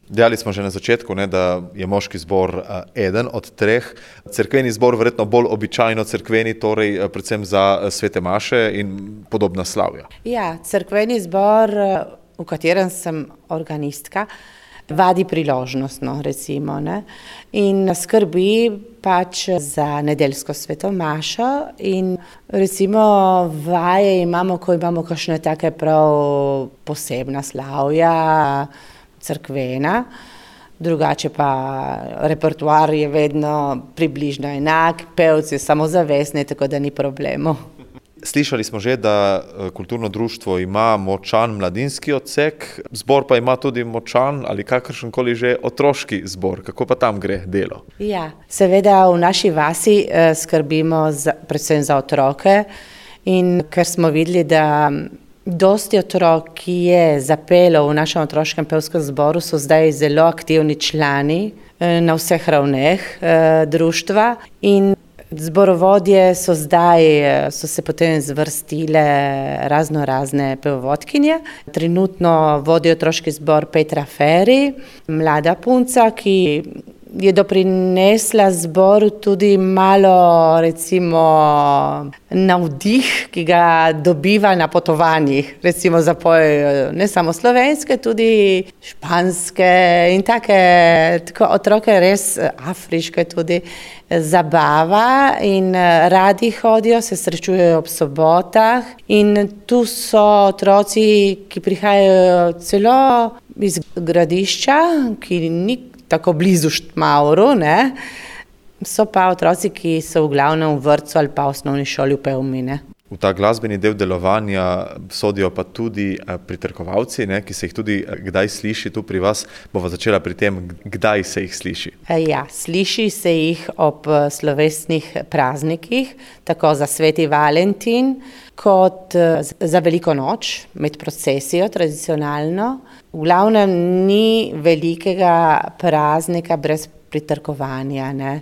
Dejali smo že na začetku, ne, da je moški zbor eden od treh. Cerkveni zbor verjetno bolj običajno cerkveni, torej predvsem za svete maše in podobna slavja. Ja, cerkveni zbor, v katerem sem organistka, vadi priložnostno, recimo, ne? In skrbi pač za nedeljsko sveto mašo in recimo vaje imamo, ko imamo kakšne take prav posebna slavja, cerkvena, drugače pa repertoar je vedno približno enak, pevci samozavestni, tako da ni problemov. Slišali smo že, da kulturno društvo ima močan mladinski odsek, zbor pa ima tudi močan ali kakršenkoli že otroški zbor. Kako pa tam gre delo? Ja, seveda v naši vasi skrbimo predvsem za otroke in ker smo videli, da dosti otrok, ki je zapelo v našem otroškem pevskem zboru, so zdaj zelo aktivni člani na vseh ravneh društva in zborovodje so se potem zvrstile razne pevovodkinje. Trenutno vodi otroški zbor Petra Feri, mlada punca, ki je doprinesla zboru tudi malo, recimo, navdih, ki ga dobiva na potovanjih. Recimo zapoje ne samo slovenske, tudi španske in tako otroke res afriške tudi zabava in radi hodijo, se srečujejo ob sobotah in tu so otroci, ki prihajajo celo iz Gradišča, ki ni tako blizu Štmauru, ne? So pa otroci, ki so v glavnem v vrtcu ali pa v osnovni šoli v Pevmi, ne? V ta glasbeni del delovanja sodijo pa tudi pritrkovalci, ne, ki se jih tudi kdaj sliši tu pri vas. Bova začela pri tem, kdaj se jih sliši. Ja, sliši se jih ob slovesnih praznikih, tako za sveti Valentin, kot za veliko noč, med procesijo tradicionalno. V glavnem ni velikega praznika brez pritrkovanja, ne.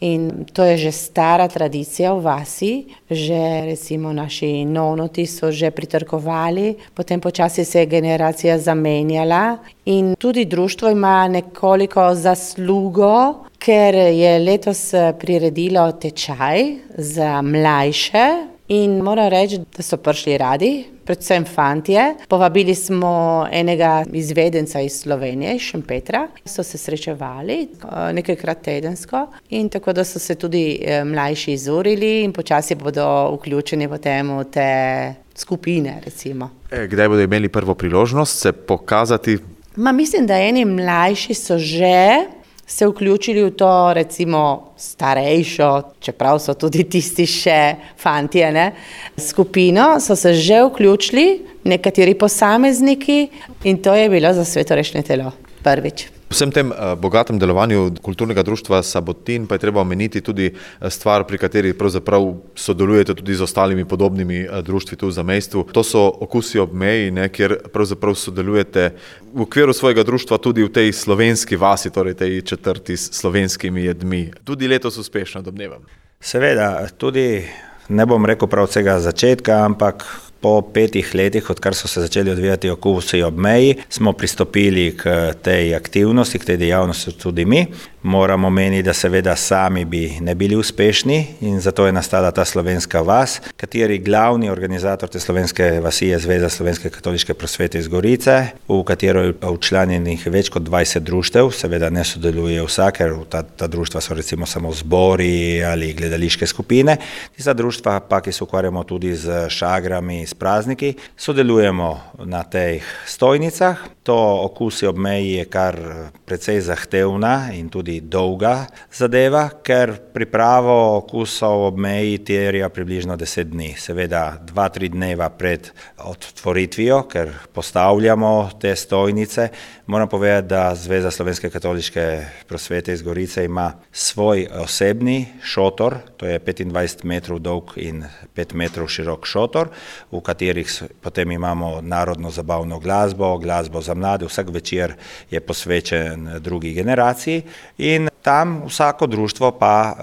In to je že stara tradicija v vasi, že recimo naši nonoti so že pritrkovali, potem počasi se je generacija zamenjala in tudi društvo ima nekoliko zaslugo, ker je letos priredilo tečaj za mlajše in moram reči, da so prišli radi, predvsem fantje. Povabili smo enega izvedenca iz Slovenije, iz Šempetra, so se srečevali nekajkrat tedensko in tako da so se tudi mlajši izurili in počasi bodo vključeni potem v te skupine, recimo. Kdaj bodo imeli prvo priložnost se pokazati? Mislim, da eni mlajši so že se vključili v to, recimo, starejšo, čeprav so tudi tisti še fantje, ne, skupino, so se že vključili, nekateri posamezniki in to je bilo za svetorešne telo prvič. Vsem tem bogatem delovanju kulturnega društva Sabotin pa je treba omeniti tudi stvar, pri kateri pravzaprav sodelujete tudi z ostalimi podobnimi društvi tu v zamejstvu. To so Okusi ob meji, ne, kjer pravzaprav sodelujete v okviru svojega društva tudi v tej slovenski vasi, torej tej četrti s slovenskimi jedmi. Tudi letos uspešno, domnevam. Seveda, tudi ne bom rekel prav vsega začetka, ampak po 5 letih, odkar so se začeli odvijati Okusi ob meji, smo pristopili k tej aktivnosti, k tej dejavnosti tudi mi. Moramo meniti, da seveda sami bi ne bili uspešni in zato je nastala ta slovenska vas, kateri glavni organizator te slovenske vasi je Zveza slovenske katoliške prosvete iz Gorice, v katero je včlanjenih več kot 20 društev, seveda ne sodeluje vsak, ker ta društva so recimo samo zbori ali gledališke skupine. Tista društva pa, ki se ukvarjamo tudi z šagrami, s prazniki, sodelujemo na teh stojnicah. To Okusi ob meji je kar precej zahtevna in tudi dolga zadeva, ker pripravo okusov ob meji terja približno 10 dni. Seveda 2-3 dneva pred otvoritvijo, ker postavljamo te stojnice. Moram povedati, da Zveza slovenske katoliške prosvete iz Gorice ima svoj osebni šotor, to je 25 metrov dolg in 5 metrov širok šotor, v katerih potem imamo narodno zabavno glasbo, glasbo za mlade, vsak večer je posvečen drugi generaciji in tam vsako društvo pa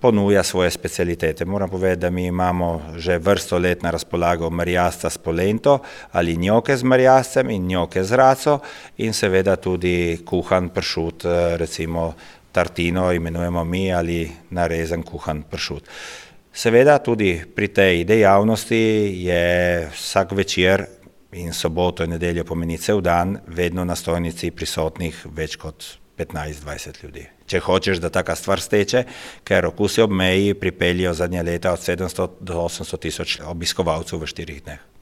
ponuja svoje specialitete. Moram povedati, da mi imamo že vrsto let na razpolago merjasca s polento ali njoke z merjascem in njoke z raco in seveda tudi kuhan pršut, recimo tartino imenujemo mi ali narezan kuhan pršut. Seveda tudi pri tej dejavnosti je vsak večer in soboto in nedeljo pomeni cel dan vedno na stojnici prisotnih več kot 15-20 ljudi. Če hočeš, da taka stvar steče, ker Okusi ob meji pripeljejo zadnja leta od 700 do 800 tisoč obiskovalcev v 4 dneh.